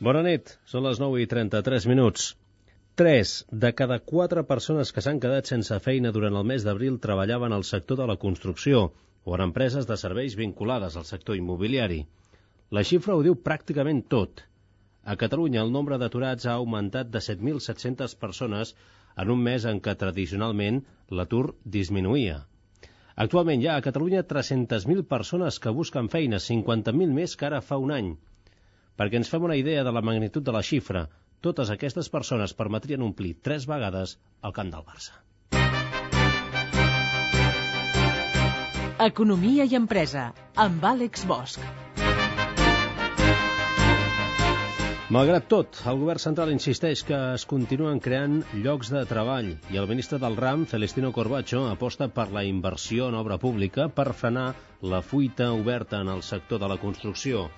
Bona nit, són les 9:33. 3 de cada 4 persones que s'han quedat sense feina durant el mes d'abril treballaven al sector de la construcció o en empreses de serveis vinculades al sector immobiliari. La xifra ho diu pràcticament tot. A Catalunya el nombre d'aturats ha augmentat de 7.700 persones en un mes en què tradicionalment l'atur disminuïa. Actualment hi ha a Catalunya 300.000 persones que busquen feina, 50.000 més que ara fa un any. Perquè ens fem una idea de la magnitud de la xifra, totes aquestes persones permetrien omplir 3 vegades el camp del Barça. Economia i empresa, amb Àlex Bosch. Malgrat tot, el govern central insisteix que es continuen creant llocs de treball i el ministre del RAM, Celestino Corbacho, aposta per la inversió en obra pública per frenar la fuita oberta en el sector de la construcció.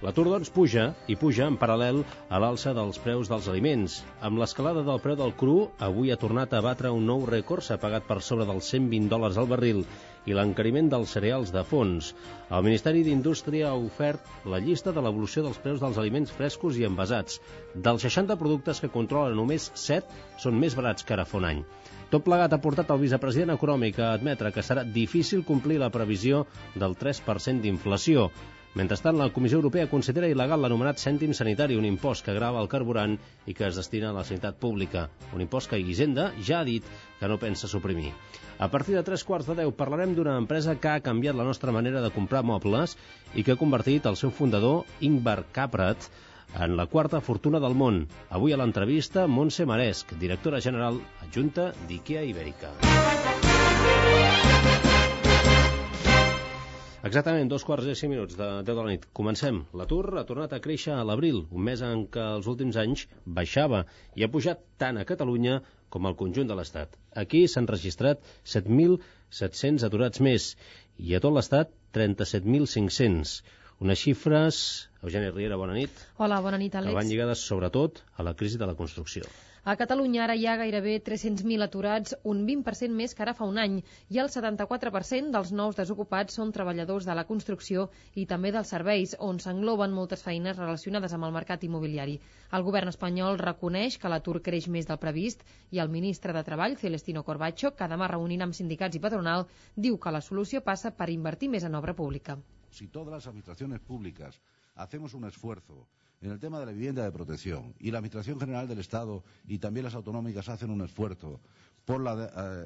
L'atur, doncs, puja, i puja en paral·lel a l'alça dels preus dels aliments. Amb l'escalada del preu del cru, avui ha tornat a batre un nou rècord, s'ha pagat per sobre dels $120 al barril, i l'encariment dels cereals de fons. El Ministeri d'Indústria ha ofert la llista de l'evolució dels preus dels aliments frescos i envasats. Dels 60 productes que controla, només 7 són més barats que ara fa un any. Tot plegat ha portat el vicepresident econòmic a admetre que serà difícil complir la previsió del 3% d'inflació. Mentrestant, la Comissió Europea considera il·legal l'anomenat cèntim sanitari, un impost que grava el carburant i que es destina a la sanitat pública. Un impost que Hisenda ja ha dit que no pensa suprimir. A partir de 9:45 parlarem d'una empresa que ha canviat la nostra manera de comprar mobles i que ha convertit el seu fundador, Ingvar Kamprad, en la quarta fortuna del món. Avui a l'entrevista, Montse Maresc, directora general adjunta d'IKEA Ibèrica. Exactament, 2:05 de 10 de la nit. Comencem. L'atur ha tornat a créixer a l'abril, un mes en què els últims anys baixava i ha pujat tant a Catalunya com al conjunt de l'Estat. Aquí s'han registrat 7.700 aturats més i a tot l'Estat 37.500. Unes xifres, Eugènia Riera, bona nit. Hola, bona nit, Àlex. Que van lligades sobretot a la crisi de la construcció. A Catalunya ara hi ha gairebé 300.000 aturats, un 20% més que ara fa un any, i el 74% dels nous desocupats són treballadors de la construcció i també dels serveis, on s'engloben moltes feines relacionades amb el mercat immobiliari. El govern espanyol reconeix que l'atur creix més del previst i el ministre de Treball, Celestino Corbacho, que demà reunint amb sindicats i patronal, diu que la solució passa per invertir més en obra pública. Si todas las administraciones públicas hacemos un esfuerzo en el tema de la vivienda de protección y la Administración General del Estado y también las autonómicas hacen un esfuerzo por el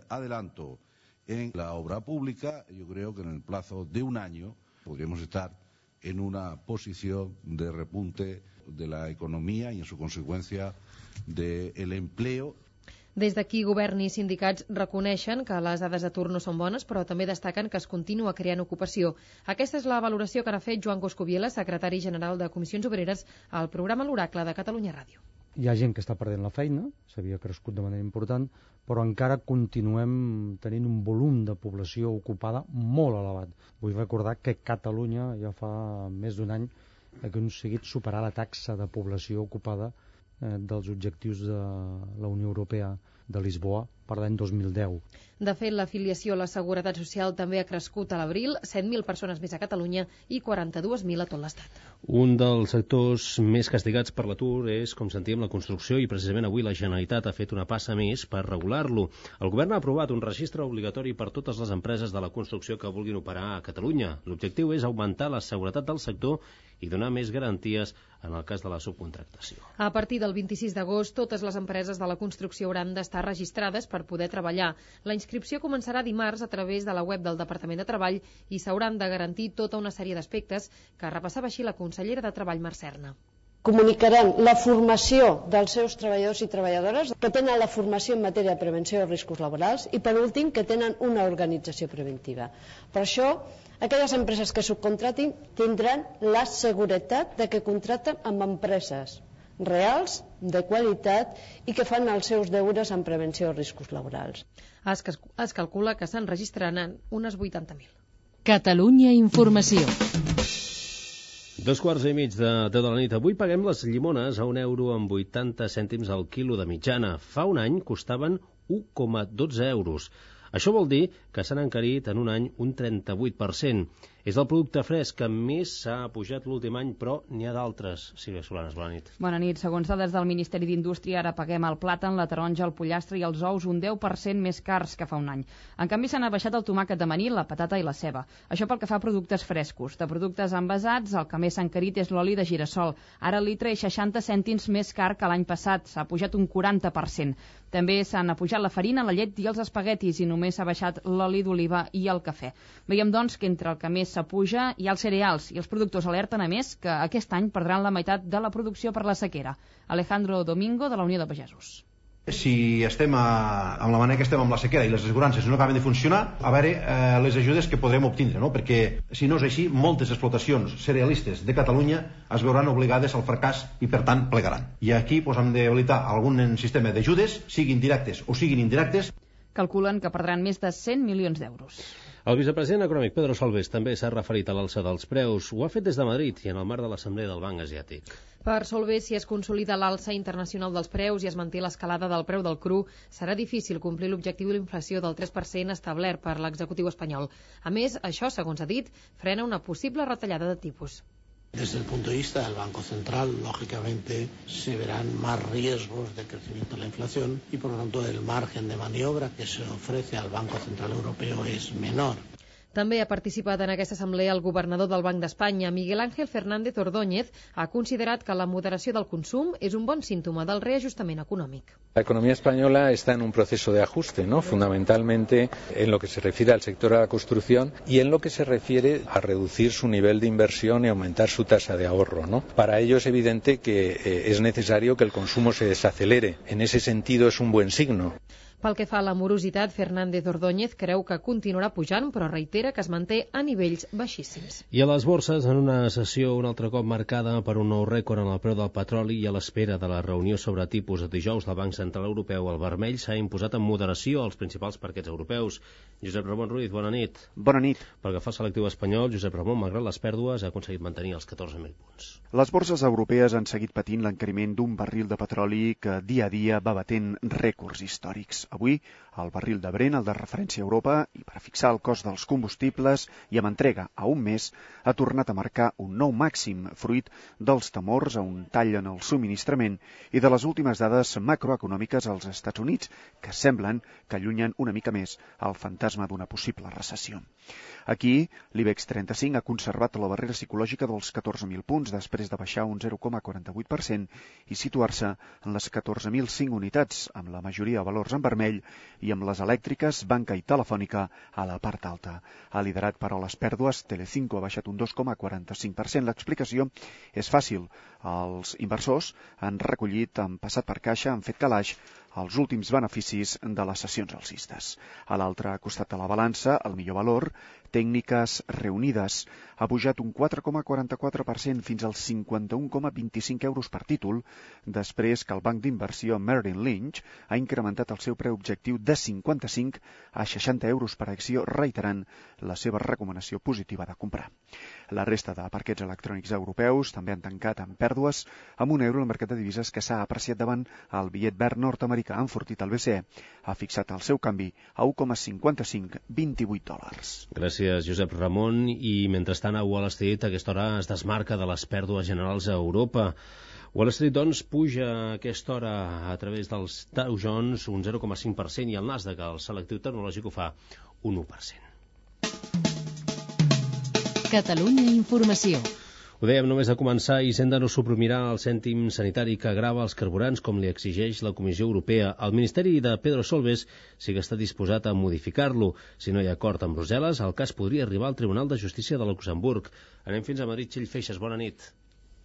adelanto en la obra pública, yo creo que en el plazo de un año podríamos estar en una posición de repunte de la economía y en su consecuencia del empleo. Des d'aquí, govern i sindicats reconeixen que les dades d'atur no són bones, però també destaquen que es continua creant ocupació. Aquesta és la valoració que n'ha fet Joan Coscubiela, secretari general de Comissions Obreres, al programa L'Oracle de Catalunya Ràdio. Hi ha gent que està perdent la feina, s'havia crescut de manera important, però encara continuem tenint un volum de població ocupada molt elevat. Vull recordar que Catalunya ja fa més d'un any ha aconseguit superar la taxa de població ocupada dels objectius de la Unió Europea de Lisboa per l'any 2010. De fet, l'afiliació a la Seguretat Social també ha crescut a l'abril, 7.000 persones més a Catalunya i 42.000 a tot l'Estat. Un dels sectors més castigats per l'atur és, com sentíem, la construcció, i precisament avui la Generalitat ha fet una passa més per regular-lo. El govern ha aprovat un registre obligatori per totes les empreses de la construcció que vulguin operar a Catalunya. L'objectiu és augmentar la seguretat del sector i donar més garanties en el cas de la subcontractació. A partir del 26 d'agost, totes les empreses de la construcció hauran d'estar registrades per poder treballar. La inscripció començarà dimarts a través de la web del Departament de Treball i s'hauran de garantir tota una sèrie d'aspectes que repassava així la consellera de Treball, Mar Serna. Comunicaran la formació dels seus treballadors i treballadores, que tenen la formació en matèria de prevenció de riscos laborals i, per últim, que tenen una organització preventiva. Per això, aquelles empreses que subcontratin tindran la seguretat de que contracten amb empreses reals, de qualitat i que fan els seus deures en prevenció de riscos laborals. Es calcula que se'n registraran unes 80.000. Catalunya Informació. 2:15 de 10 de la nit. Avui paguem les llimones a €1,80 al quilo de mitjana. Fa un any costaven 1,12 €. Això vol dir que s'han encarit en un any un 38%. És el producte fresc que més s'ha pujat l'últim any, però n'hi ha d'altres. Sílvia Solanes, bona nit. Bona nit. Segons dades del Ministeri d'Indústria, ara paguem el plàtan, la taronja, el pollastre i els ous un 10% més cars que fa un any. En canvi, s'han abaixat el tomàquet d'amanil, la patata i la ceba. Això pel que fa a productes frescos. De productes envasats, el que més s'ha encarit és l'oli de girassol. Ara el litre és 60 cèntims més car que l'any passat. S'ha pujat un 40%. També s'han apujat la farina, la llet i els espaguetis i només s'ha baixat l'oli d'oliva i el cafè. Veiem, doncs, que entre el que més s'apuja hi ha els cereals i els productors alerten, a més, que aquest any perdran la meitat de la producció per la sequera. Alejandro Domingo, de la Unió de Pagesos. Si estem amb la manera que estem amb la sequera i les assegurances no acaben de funcionar, a veure les ajudes que podrem obtindre, no? Perquè si no és així, moltes explotacions cerealistes de Catalunya es veuran obligades al fracàs i per tant plegaran. I aquí hem d'habilitar algun sistema d'ajudes, siguin directes o siguin indirectes. Calculen que perdran més de 100 milions d'euros. El vicepresident econòmic Pedro Solbes també s'ha referit a l'alça dels preus. Ho ha fet des de Madrid i en el marc de l'Assemblea del Banc Asiàtic. Per Solbes, si es consolida l'alça internacional dels preus i es manté l'escalada del preu del cru, serà difícil complir l'objectiu de l'inflació del 3% establert per l'executiu espanyol. A més, això, segons ha dit, frena una possible retallada de tipus. Desde el punto de vista del Banco Central, lógicamente, se verán más riesgos de crecimiento de la inflación y, por lo tanto, el margen de maniobra que se ofrece al Banco Central Europeo es menor. També ha participat en aquesta assemblea el governador del Banc d'Espanya, Miguel Ángel Fernández Ordóñez, ha considerat que la moderació del consum és un bon símptoma del reajustament econòmic. La economía española está en un proceso de ajuste, ¿no? Fundamentalmente en lo que se refiere al sector de la construcción y en lo que se refiere a reducir su nivel de inversión y aumentar su tasa de ahorro, ¿no? Para ello es evidente que es necesario que el consumo se desacelere. En ese sentido es un buen signo. Pel que fa a la morositat, Fernández Ordóñez creu que continuarà pujant, però reitera que es manté a nivells baixíssims. I a les borses, en una sessió un altre cop marcada per un nou rècord en el preu del petroli i a l'espera de la reunió sobre tipus de dijous del Banc Central Europeu, el vermell s'ha imposat amb moderació als principals parquets europeus. Josep Ramon Ruiz, bona nit. Bona nit. Pel que fa al selectiu espanyol, Josep Ramon, malgrat les pèrdues, ha aconseguit mantenir els 14.000 punts. Les borses europees han seguit patint l'encariment d'un barril de petroli que dia a dia va batent rècords històrics. Avui, el barril de Brent, el de referència a Europa, i per fixar el cost dels combustibles i amb entrega a un mes, ha tornat a marcar un nou màxim, fruit dels temors a un tall en el subministrament i de les últimes dades macroeconòmiques als Estats Units, que semblen que allunyen una mica més el fantasma d'una possible recessió. Aquí, l'IBEX 35 ha conservat la barrera psicològica dels 14.000 punts després de baixar un 0,48% i situar-se en les 14.005 unitats, amb la majoria de valors en vermell i amb les elèctriques, banca i telefònica a la part alta. Ha liderat, però, les pèrdues. Telecinco ha baixat un 2,45%. L'explicació és fàcil. Els inversors han recollit, han passat per caixa, han fet calaix els últims beneficis de les sessions alcistes. A l'altre costat de la balança, el millor valor, Tècniques Reunides, ha pujat un 4,44% fins als 51,25 euros per títol, després que el banc d'inversió Merrill Lynch ha incrementat el seu preu objectiu de 55 a 60 euros per acció, reiterant la seva recomanació positiva de comprar. La resta de parquets electrònics europeus també han tancat amb pèrdues, amb un euro al mercat de divises que s'ha apreciat davant el bitllet verd nord-americà, enfortit el BCE, ha fixat el seu canvi a 1,5528 dòlars. Gràcies, Josep Ramon. I mentrestant a Wall Street a aquesta hora es desmarca de les pèrdues generals a Europa. Wall Street, doncs, puja a aquesta hora a través dels Dow Jones un 0,5% i el Nasdaq, el selectiu tecnològic, ho fa un 1%. Catalunya Informació. Ho dèiem només a començar, Hisenda no suprimirà el cèntim sanitari que grava els carburants com li exigeix la Comissió Europea. El Ministeri de Pedro Solbes sí que està disposat a modificar-lo. Si no hi ha acord amb Brussel·les, el cas podria arribar al Tribunal de Justícia de Luxemburg. Anem fins a Madrid. Txell Feixes, bona nit.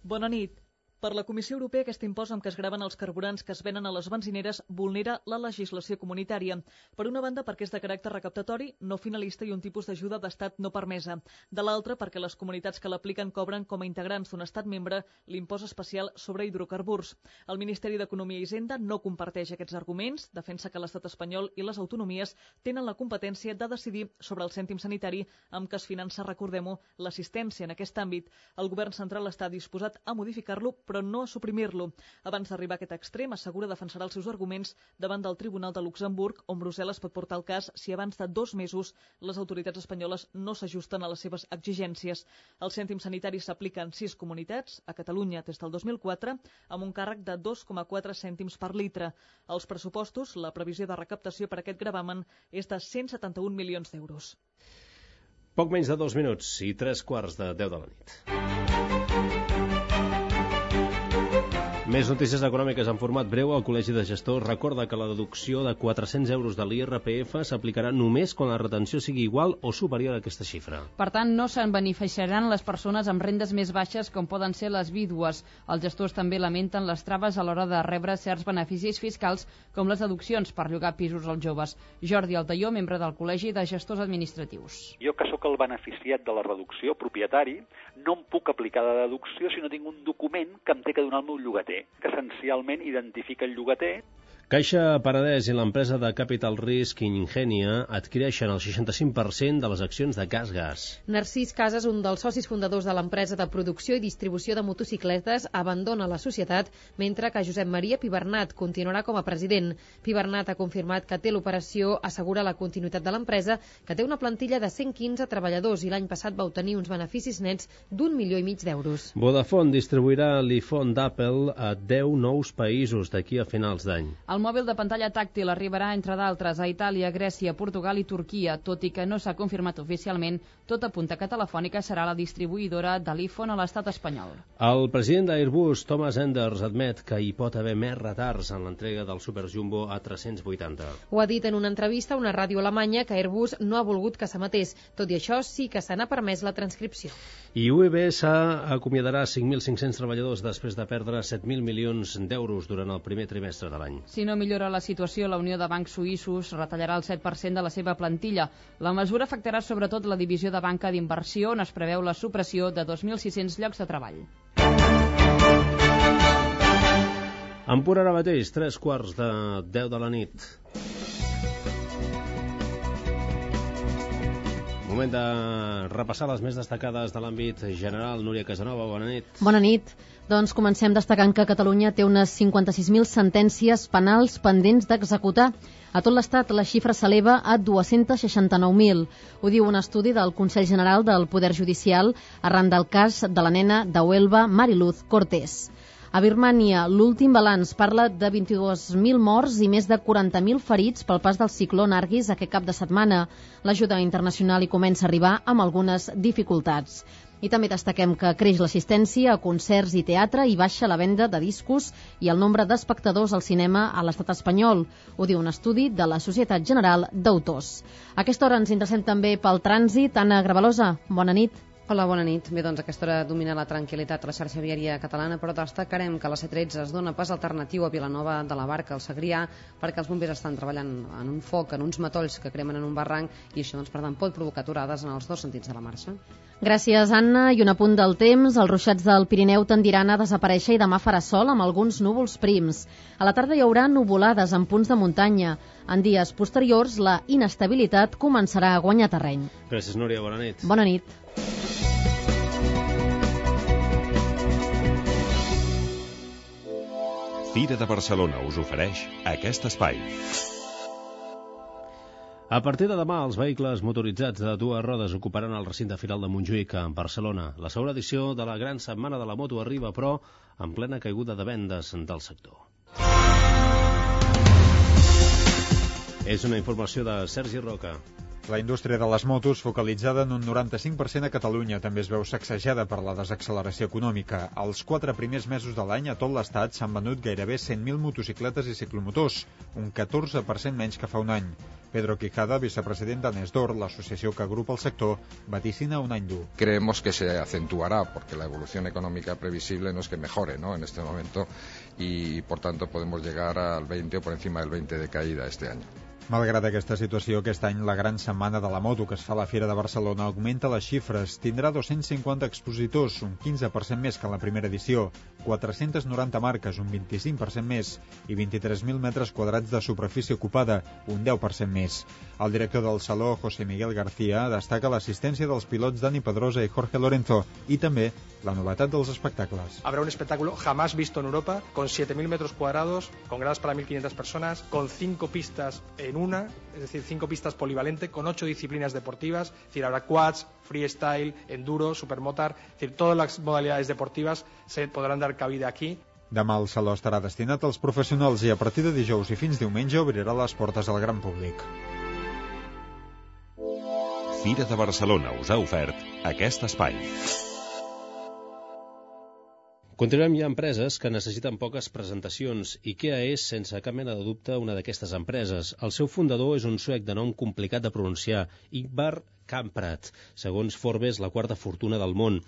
Bona nit. Per la Comissió Europea, aquest impost amb què es graven els carburants que es venen a les benzineres vulnera la legislació comunitària. Per una banda, perquè és de caràcter recaptatori, no finalista i un tipus d'ajuda d'estat no permesa. De l'altra, perquè les comunitats que l'apliquen cobren com a integrants d'un estat membre l'impost especial sobre hidrocarburs. El Ministeri d'Economia i Hisenda no comparteix aquests arguments, defensa que l'estat espanyol i les autonomies tenen la competència de decidir sobre el cèntim sanitari amb què es finança, recordem-ho, l'assistència en aquest àmbit. El govern central està disposat a modificar-lo, però però no a suprimir-lo. Abans d'arribar a aquest extrem, assegura defensarà els seus arguments davant del Tribunal de Luxemburg, on Brussel·les pot portar el cas si abans de 2 mesos les autoritats espanyoles no s'ajusten a les seves exigències. Els cèntims sanitaris s'apliquen en 6 comunitats, a Catalunya des del 2004, amb un càrrec de 2,4 cèntims per litre. Als pressupostos, la previsió de recaptació per aquest gravamen és de 171 milions d'euros. Poc menys de 2 minuts i 3:15 de la nit. Més notícies econòmiques en format breu. El Col·legi de Gestors recorda que la deducció de 400 euros de l'IRPF s'aplicarà només quan la retenció sigui igual o superior a aquesta xifra. Per tant, no se'n beneficiaran les persones amb rendes més baixes com poden ser les vídues. Els gestors també lamenten les traves a l'hora de rebre certs beneficis fiscals com les deduccions per llogar pisos als joves. Jordi Altaió, membre del Col·legi de Gestors Administratius. Jo, que sóc el beneficiat de la reducció, propietari, no em puc aplicar la deducció si no tinc un document que em té que donar el meu llogater, que essencialment identifica el llogater. Caixa Penedès i l'empresa de Capital Risk Ingenia adquireixen el 65% de les accions de Gasgas. Narcís Casas, un dels socis fundadors de l'empresa de producció i distribució de motocicletes, abandona la societat, mentre que Josep Maria Pibernat continuarà com a president. Pibernat ha confirmat que té l'operació, assegura la continuïtat de l'empresa, que té una plantilla de 115 treballadors i l'any passat va obtenir uns beneficis nets d'1,5 milió d'euros. Vodafone distribuirà l'iPhone d'Apple a 10 nous països d'aquí a finals d'any. El mòbil de pantalla tàctil arribarà, entre d'altres, a Itàlia, Grècia, Portugal i Turquia. Tot i que no s'ha confirmat oficialment, tot apunta que Telefònica serà la distribuïdora de l'iPhone a l'estat espanyol. El president d'Airbus, Thomas Enders, admet que hi pot haver més retards en l'entrega del Super Jumbo A380. Ho ha dit en una entrevista a una ràdio alemanya que Airbus no ha volgut que s'emetés. Tot i això, sí que se n'ha permès la transcripció. I UBS acomiadarà 5.500 treballadors després de perdre 7.000 milions d'euros durant el primer trimestre de l'any. Si no millora la situació, la Unió de Bancs Suïssos retallarà el 7% de la seva plantilla. La mesura afectarà sobretot la divisió de banca d'inversió, on es preveu la supressió de 2.600 llocs de treball. En punt ara mateix, 3:15 de la nit. Moment de repassar les més destacades de l'àmbit general. Núria Casanova, bona nit. Bona nit. Doncs comencem destacant que Catalunya té unes 56.000 sentències penals pendents d'executar. A tot l'Estat la xifra s'eleva a 269.000. Ho diu un estudi del Consell General del Poder Judicial arran del cas de la nena de Huelva, Mariluz Cortés. A Birmània, l'últim balanç parla de 22.000 morts i més de 40.000 ferits pel pas del cicló Nargis aquest cap de setmana. L'ajuda internacional hi comença a arribar amb algunes dificultats. I també destaquem que creix l'assistència a concerts i teatre i baixa la venda de discos i el nombre d'espectadors al cinema a l'estat espanyol. Ho diu un estudi de la Societat General d'Autors. A aquesta hora ens interessem també pel trànsit. Anna Gravalosa, bona nit. Hola, bona nit. Bé, doncs a aquesta hora domina la tranquil·litat a la xarxa viària catalana, però destacarem que a la C13 es dona pas alternatiu a Vilanova de la Barca, al Segrià, perquè els bombers estan treballant en un foc, en uns matolls que cremen en un barranc, i això, doncs, per tant, pot provocar aturades en els dos sentits de la marxa. Gràcies, Anna. I un apunt del temps. Els ruixats del Pirineu tendiran a desaparèixer i demà farà sol amb alguns núvols prims. A la tarda hi haurà nuvolades en punts de muntanya. En dies posteriors, la inestabilitat començarà a guanyar terreny. Gràcies, Núria. Bona nit. Bona nit. Fira de Barcelona us ofereix aquest espai. A partir de demà, els vehicles motoritzats de dues rodes ocuparan el recinte firal de Montjuïc, a Barcelona. La segona edició de la Gran Setmana de la Moto arriba, però, en plena caiguda de vendes del sector. És una informació de Sergi Roca. La indústria de les motos, focalitzada en un 95% a Catalunya, també es veu sacsejada per la desacceleració econòmica. Els 4 primers mesos de l'any a tot l'estat s'han venut gairebé 100.000 motocicletes i ciclomotors, un 14% menys que fa un any. Pedro Quijada, vicepresident d'Anesdor, l'associació que agrupa el sector, vaticina un any dur. Creemos que se acentuará porque la evolución económica previsible no es que mejore, ¿no?, en este momento, y por tanto podemos llegar al 20 o por encima del 20 de caída este año. Malgrat aquesta situació, aquest any la gran setmana de la moto que es fa a la Fira de Barcelona augmenta les xifres. Tindrà 250 expositors, un 15% més que en la primera edició, 490 marques, un 25% més, i 23.000 metres quadrats de superfície ocupada, un 10% més. El director del Saló, José Miguel García, destaca l'assistència dels pilots Dani Pedrosa i Jorge Lorenzo i també la novetat dels espectacles. Habrá un espectáculo jamás visto en Europa, con 7.000 metros cuadrados, con gradas para 1.500 personas, con 5 pistas en una, es decir, 5 pistas polivalente, con 8 disciplinas deportivas, es decir, habrá quads, freestyle, enduro, supermotar, es decir, todas las modalidades deportivas se podrán dar cabida aquí. Demà el Saló estarà destinat als professionals i a partir de dijous i fins diumenge obrirà les portes al gran públic. Fira de Barcelona us ha ofert aquest espai. Continuem, hi ha empreses que necessiten poques presentacions. IKEA és, sense cap mena de dubte, una d'aquestes empreses. El seu fundador és un suec de nom complicat de pronunciar, Ingvar Kamprad, segons Forbes, la quarta fortuna del món.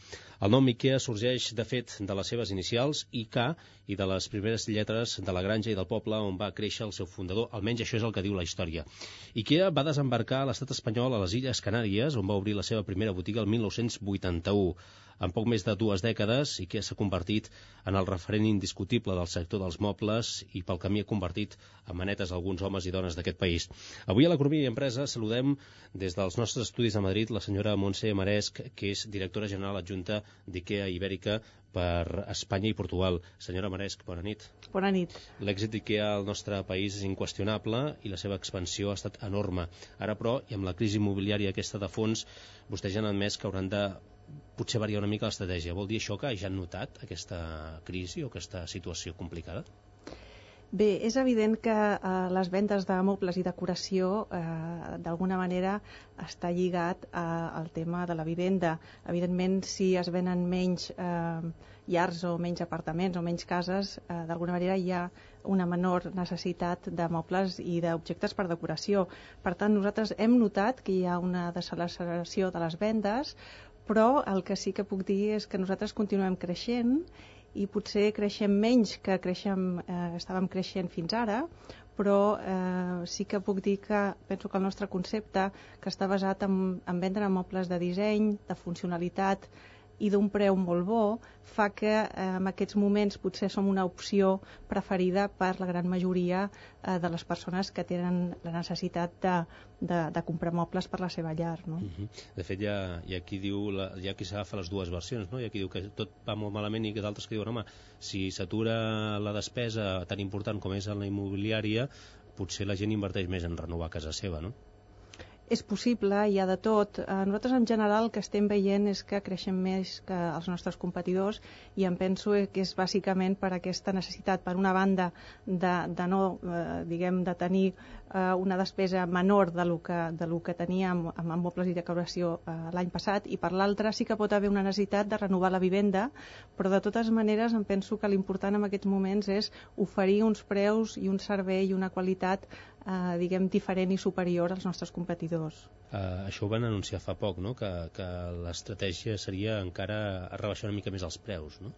El nom IKEA sorgeix, de fet, de les seves inicials, IK, i de les primeres lletres de la granja i del poble on va créixer el seu fundador. Almenys això és el que diu la història. IKEA va desembarcar a l'estat espanyol a les Illes Canàries, on va obrir la seva primera botiga el 1981. En poc més de 2 dècades, IKEA s'ha convertit en el referent indiscutible del sector dels mobles i pel camí ha convertit en manetes alguns homes i dones d'aquest país. Avui a l'Economia i Empresa saludem des dels nostres estudis a Madrid la senyora Montse Maresc, que és directora general adjunta d'IKEA Ibèrica per Espanya i Portugal. Senyora Maresc, bona nit. Bona nit. L'èxit d'IKEA al nostre país és inqüestionable i la seva expansió ha estat enorme. Ara, però, i amb la crisi immobiliària aquesta de fons, vostès ja han admès que hauran de potser variar una mica l'estratègia. Vol dir això que ja han notat aquesta crisi o aquesta situació complicada? Bé, és evident que les vendes de mobles i decoració d'alguna manera està lligat al tema de la vivenda. Evidentment, si es venen menys llars o menys apartaments o menys cases, d'alguna manera hi ha una menor necessitat de mobles i d'objectes per decoració. Per tant, nosaltres hem notat que hi ha una desacceleració de les vendes, però el que sí que puc dir és que nosaltres continuem creixent i potser creixem menys que estàvem creixent fins ara, però sí que puc dir que penso que el nostre concepte, que està basat en vendre mobles de disseny, de funcionalitat i d'un preu molt bo, fa que en aquests moments potser som una opció preferida per la gran majoria de les persones que tenen la necessitat de comprar mobles per la seva llar. No? De fet, hi ha qui diu, hi ha qui s'agafa les dues versions, no? Hi ha qui diu que tot va molt malament i que d'altres que diuen, home, si s'atura la despesa tan important com és en la immobiliària, potser la gent inverteix més en renovar casa seva, no? És possible, hi ha de tot. Nosaltres en general el que estem veient és que creixem més que els nostres competidors i em penso que és bàsicament per aquesta necessitat, per una banda, de no, diguem, de tenir una despesa menor de lo que teníem amb mobles i decoració l'any passat, i per l'altra sí que pot haver una necessitat de renovar la vivenda, però de totes maneres em penso que l'important en aquests moments és oferir uns preus i un servei i una qualitat diguem, diferent i superior als nostres competidors. Això ho van anunciar fa poc, no? Que l'estratègia seria encara rebaixar una mica més els preus, no?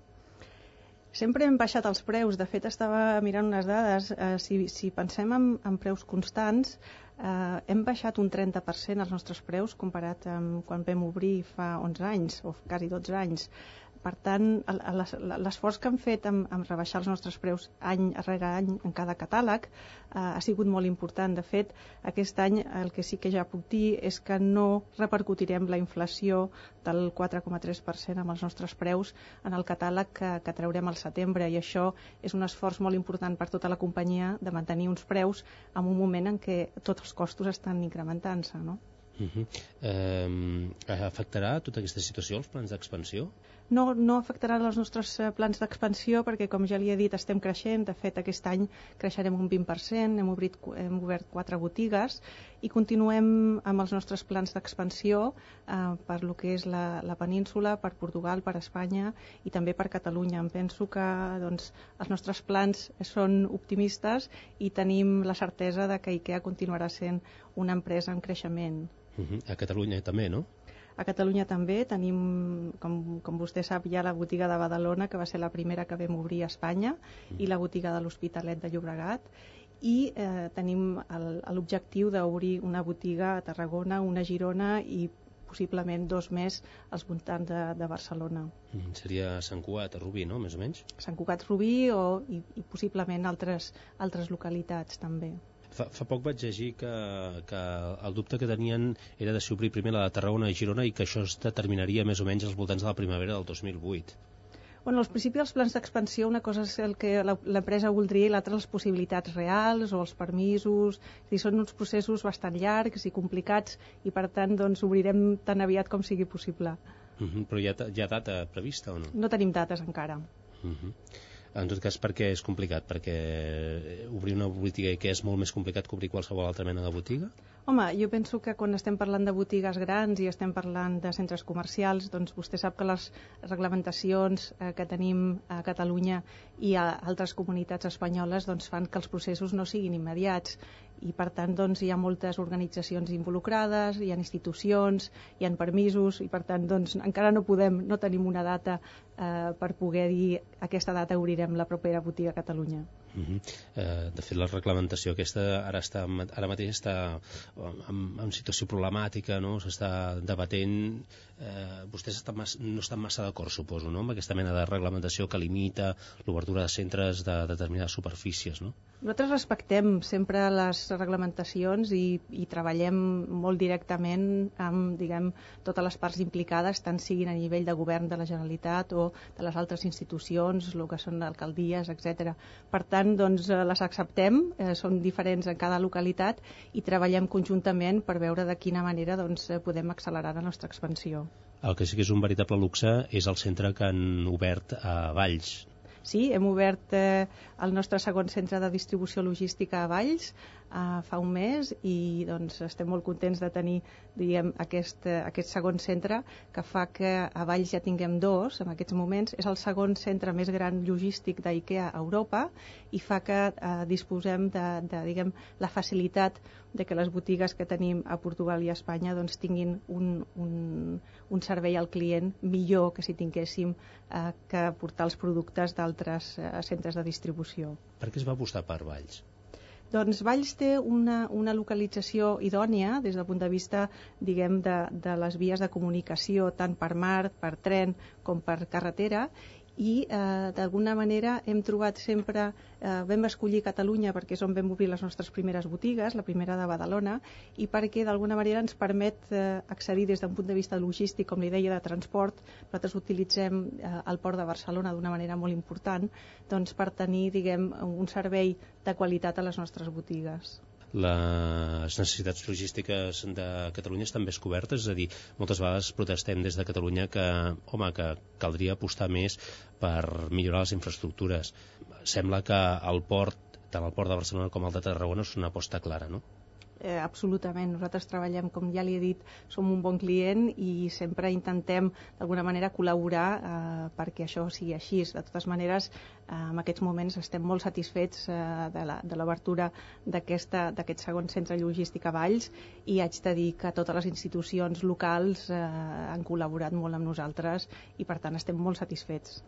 Sempre hem baixat els preus. De fet, estava mirant unes dades. Si pensem en preus constants, hem baixat un 30% els nostres preus comparat amb quan vam obrir fa 11 anys, o quasi 12 anys. Per tant, l'esforç que hem fet en rebaixar els nostres preus any rere any en cada catàleg ha sigut molt important. De fet, aquest any el que sí que ja puc dir és que no repercutirem la inflació del 4,3% amb els nostres preus en el catàleg que traurem al setembre, i això és un esforç molt important per tota la companyia de mantenir uns preus en un moment en què tots els costos estan incrementant-se, no? Afectarà tota aquesta situació els plans d'expansió? No afectarà els nostres plans d'expansió perquè, com ja li he dit, estem creixent. De fet, aquest any creixerem un 20%, hem obert 4 botigues i continuem amb els nostres plans d'expansió per lo que és la península, per Portugal, per Espanya i també per Catalunya. Em penso que els nostres plans són optimistes i tenim la certesa de que IKEA continuarà sent una empresa en creixement. A Catalunya també, no? A Catalunya també tenim, com vostè sap, ja la botiga de Badalona, que va ser la primera que vam obrir a Espanya, i la botiga de l'Hospitalet de Llobregat. i tenim l'objectiu d'obrir una botiga a Tarragona, una a Girona i possiblement 2 més als voltants de Barcelona. Seria Sant Cugat, Rubí, no?, més o menys? Sant Cugat, Rubí i possiblement altres localitats també. Fa poc vaig llegir que el dubte que tenien era de si obrir primer la de Tarragona i Girona i que això es determinaria més o menys als voltants de la primavera del 2008. Bueno, als principis dels plans d'expansió una cosa és el que l'empresa voldria i l'altra les possibilitats reals o els permisos. Són uns processos bastant llargs i complicats i per tant doncs, obrirem tan aviat com sigui possible. Però hi ha data prevista o no? No tenim dates encara. En tot cas, per què és complicat? Perquè obrir una botiga que és molt més complicat que obrir qualsevol altra mena de botiga? Home, jo penso que quan estem parlant de botigues grans i estem parlant de centres comercials, doncs vostè sap que les reglamentacions que tenim a Catalunya i a altres comunitats espanyoles doncs, fan que els processos no siguin immediats i per tant doncs, hi ha moltes organitzacions involucrades, hi ha institucions, hi ha permisos i per tant doncs, encara no tenim una data per poder dir aquesta data obrirem la propera botiga a Catalunya. De fet, la reglamentació aquesta ara mateix està en situació problemàtica, no? S'està debatent. Vostès no estan massa d'acord, suposo, no?, amb aquesta mena de reglamentació que limita l'obertura de centres de determinades superfícies, no? Nosaltres respectem sempre les reglamentacions i treballem molt directament amb, diguem, totes les parts implicades, tant siguin a nivell de govern de la Generalitat o de les altres institucions, el que són alcaldies, etc. Per tant, doncs, les acceptem, són diferents en cada localitat i treballem conjuntament per veure de quina manera doncs, podem accelerar la nostra expansió. El que sí que és un veritable luxe és el centre que han obert a Valls. Sí, hem obert el nostre segon centre de distribució logística a Valls fa un mes i doncs, estem molt contents de tenir aquest segon centre que fa que a Valls ja tinguem 2 en aquests moments. És el segon centre més gran logístic d'IKEA a Europa i fa que disposem de la facilitat de que les botigues que tenim a Portugal i a Espanya doncs, tinguin un servei al client millor que si tinguéssim que portar els productes d'altres centres de distribució. Per què es va apostar per Valls? Doncs Valls té una localització idònia des del punt de vista, diguem, de les vies de comunicació, tant per mar, per tren com per carretera, i d'alguna manera hem trobat sempre, vam escollir Catalunya perquè és on vam obrir les nostres primeres botigues, la primera de Badalona, i perquè d'alguna manera ens permet accedir des d'un punt de vista logístic, com li deia, de transport. Nosaltres utilitzem el port de Barcelona d'una manera molt important doncs, per tenir, diguem, un servei de qualitat a les nostres botigues. Les necessitats logístiques de Catalunya estan més cobertes, és a dir, moltes vegades protestem des de Catalunya que caldria apostar més per millorar les infraestructures. Sembla que el port, tant el port de Barcelona com el de Tarragona, és una aposta clara, no? Absolutament, nosaltres treballem, com ja li he dit, som un bon client i sempre intentem d'alguna manera col·laborar perquè això sigui així. De totes maneres, en aquests moments estem molt satisfets de l'obertura d'aquest segon centre logístic a Valls i haig de dir que totes les institucions locals han col·laborat molt amb nosaltres i per tant estem molt satisfets.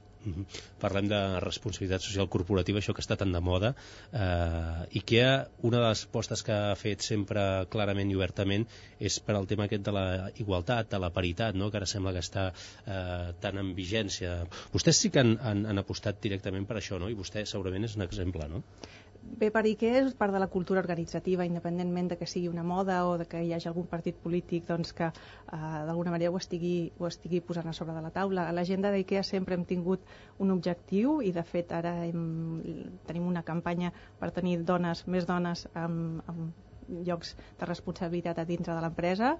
Parlem de responsabilitat social corporativa, això que està tan de moda. IKEA, una de les apostes que ha fet sempre clarament i obertament és per al tema aquest de la igualtat, de la paritat, no? Que ara sembla que està tan en vigència. Vostès sí que han apostat directament per això, no? I vostè segurament és un exemple, no? Bé, per IKEA és part de la cultura organitzativa, independentment de que sigui una moda o de que hi hagi algun partit polític doncs, que d'alguna manera ho estigui posant a sobre de la taula. A l'agenda d'IKEA sempre hem tingut un objectiu i de fet ara tenim una campanya per tenir més dones amb llocs de responsabilitat a dintre de l'empresa.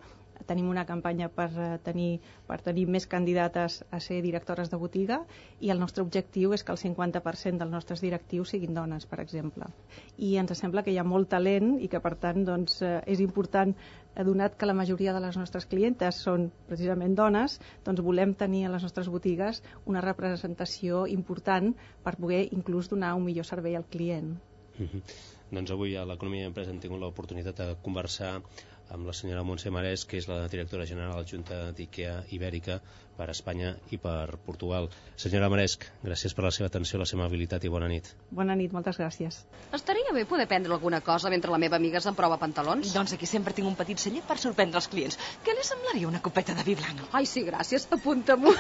Tenim una campanya per tenir més candidates a ser directores de botiga i el nostre objectiu és que el 50% dels nostres directius siguin dones, per exemple. I ens sembla que hi ha molt talent i que per tant doncs, és important, donat que la majoria de les nostres clientes són precisament dones, doncs volem tenir a les nostres botigues una representació important per poder inclús donar un millor servei al client. Doncs avui a l'Economia i Empresa hem tingut l'oportunitat de conversar amb la senyora Montse Marès, que és la directora general adjunta d'IKEA Ibèrica. per Espanya i per Portugal. Senyora Maresc, gràcies per la seva atenció, la seva amabilitat i bona nit. Bona nit, moltes gràcies. Estaria bé poder prendre alguna cosa mentre la meva amiga s'emprova pantalons. Doncs aquí sempre tinc un petit celler per sorprendre els clients. Què li semblaria una copeta de vi blanc? Ai, sí, gràcies, apunta-m'ho.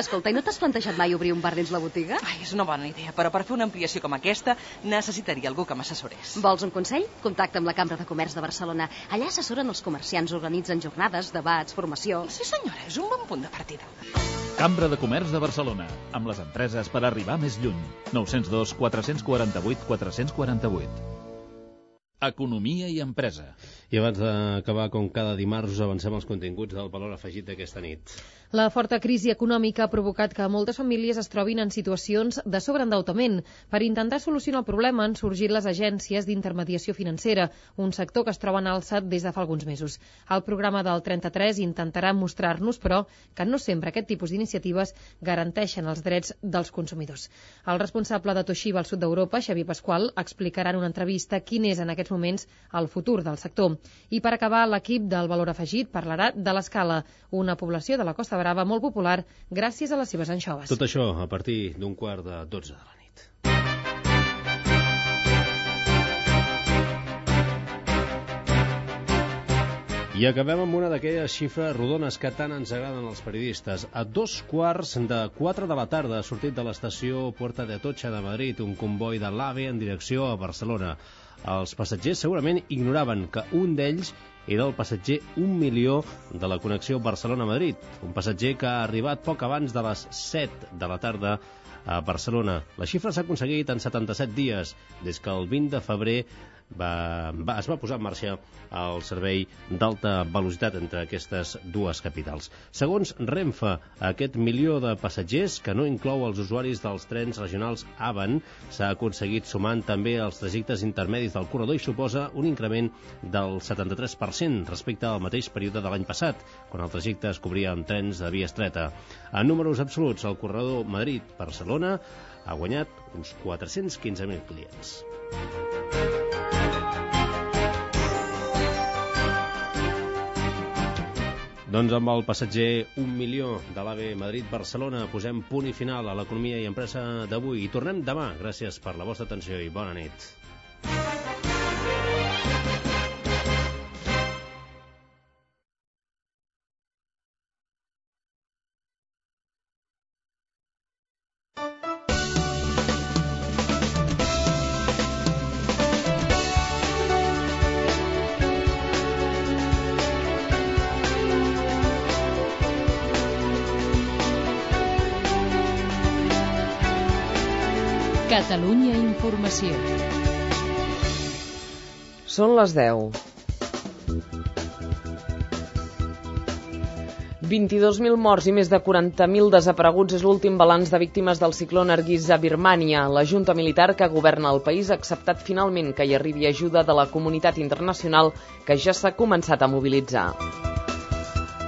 Escolta, i no t'has plantejat mai obrir un bar dins la botiga? Ai, és una bona idea, però per fer una ampliació com aquesta necessitaria algú que m'assessorés. Vols un consell? Contacta amb la Cambra de Comerç de Barcelona. Allà assessoren els comerciants, organitzen jornades, debats, formació... Sí, senyora, és un bon punt de partida. Cambra de Comerç de Barcelona, amb les empreses per arribar més lluny. 902 448 448. Economia i empresa. I abans d'acabar, com cada dimarts, us avancem els continguts del valor afegit d'aquesta nit. La forta crisi econòmica ha provocat que moltes famílies es trobin en situacions de sobreendeutament. Per intentar solucionar el problema han sorgit les agències d'intermediació financera, un sector que es troba en alça des de fa alguns mesos. El programa del 33 intentarà mostrar-nos, però, que no sempre aquest tipus d'iniciatives garanteixen els drets dels consumidors. El responsable de Toshiba al sud d'Europa, Xavier Pasqual, explicarà en una entrevista quin és en aquests moments el futur del sector. I per acabar, l'equip del valor afegit parlarà de l'Escala, una població de la Costa Brava molt popular gràcies a les seves anxoves. Tot això a partir d'un 11:45 de la nit. I acabem amb una d'aquelles xifres rodones que tant ens agraden als periodistes. A 3:15 de la tarda ha sortit de l'estació Puerta de Atocha de Madrid un comboi de l'AVE en direcció a Barcelona. Els passatgers segurament ignoraven que un d'ells era el passatger 1 milió de la connexió Barcelona-Madrid, un passatger que ha arribat poc abans de les 7 de la tarda a Barcelona. La xifra s'ha aconseguit en 77 dies, des que el 20 de febrer es va posar en marxa el servei d'alta velocitat entre aquestes dues capitals. Segons Renfe, aquest milió de passatgers, que no inclou els usuaris dels trens regionals AVAN, s'ha aconseguit sumant també els trajectes intermedis del corredor i suposa un increment del 73% respecte al mateix període de l'any passat, quan el trajecte es cobria amb trens de via estreta. En números absoluts, el corredor Madrid-Barcelona ha guanyat uns 415.000 clients. Doncs amb el passatger 1 milió de l'AVE Madrid-Barcelona posem punt i final a l'economia i empresa d'avui. I tornem demà. Gràcies per la vostra atenció i bona nit. Catalunya Informació. Són les 10. 22.000 morts i més de 40.000 desapareguts és l'últim balanç de víctimes del cicló Nargis a Birmània. La junta militar que governa el país ha acceptat finalment que hi arribi ajuda de la comunitat internacional que ja s'ha començat a mobilitzar.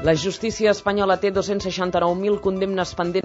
La justícia espanyola té 269.000 condemnes pendents